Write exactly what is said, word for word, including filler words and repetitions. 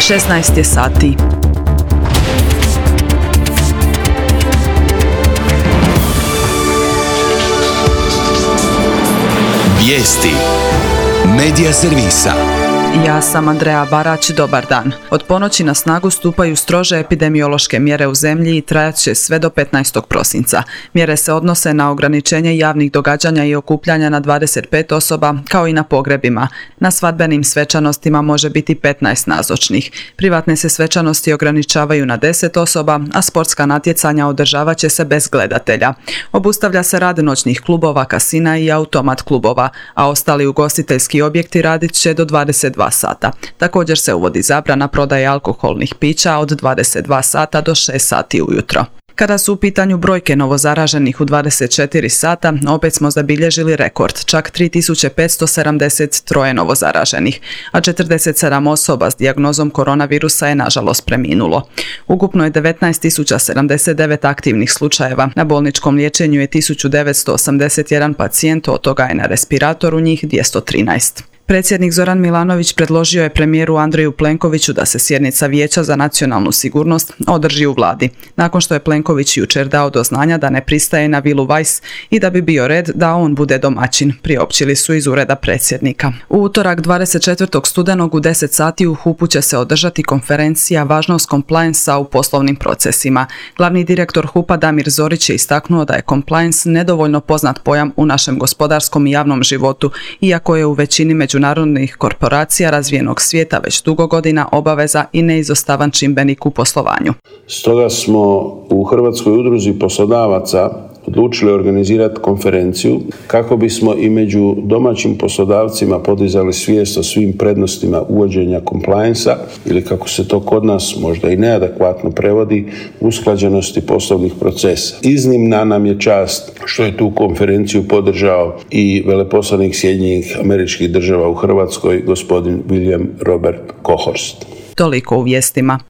šesnaest je sati. Vijesti Medija servisa. Ja sam Andreja Barać, dobar dan. Od ponoći na snagu stupaju strože epidemiološke mjere u zemlji i trajat će sve do petnaestog prosinca. Mjere se odnose na ograničenje javnih događanja i okupljanja na dvadeset pet osoba, kao i na pogrebima. Na svadbenim svečanostima može biti petnaest nazočnih. Privatne se svečanosti ograničavaju na deset osoba, a sportska natjecanja održavat će se bez gledatelja. Obustavlja se rad noćnih klubova, kasina i automat klubova, a ostali ugostiteljski objekti radit će do dvadeset dva sata. Također se uvodi zabrana prodaje alkoholnih pića od dvadeset dva sata do šest sati ujutro. Kada su u pitanju brojke novozaraženih u dvadeset četiri sata, opet smo zabilježili rekord, čak tri tisuće petsto sedamdeset tri novozaraženih, a četrdeset sedam osoba s dijagnozom koronavirusa je nažalost preminulo. Ukupno je devetnaest tisuća sedamdeset devet aktivnih slučajeva, na bolničkom liječenju je tisuću devetsto osamdeset jedan pacijent, od toga je na respiratoru njih dvjesto trinaest. Predsjednik Zoran Milanović predložio je premijeru Andreju Plenkoviću da se sjednica Vijeća za nacionalnu sigurnost održi u vladi, nakon što je Plenković jučer dao do znanja da ne pristaje na vilu Weiss i da bi bio red da on bude domaćin, priopćili su iz ureda predsjednika. U utorak dvadeset četvrtog studenog u deset sati u HUP-u će se održati konferencija Važnost compliance-a u poslovnim procesima. Glavni direktor HUP-a Damir Zorić je istaknuo da je compliance nedovoljno poznat pojam u našem gospodarskom i javnom životu, iako je u većini među međunarodnih korporacija razvijenog svijeta već dugo godina obaveza i neizostavan čimbenik u poslovanju. Stoga smo u Hrvatskoj udruzi poslodavaca odlučili organizirati konferenciju kako bismo i među domaćim poslodavcima podizali svijest o svim prednostima uvođenja compliance-a ili kako se to kod nas možda i neadekvatno prevodi, usklađenosti poslovnih procesa. Iznimna nam je čast što je tu konferenciju podržao i veleposlanik Sjedinjenih Američkih Država u Hrvatskoj, gospodin William Robert Kohorst. Toliko u vijestima.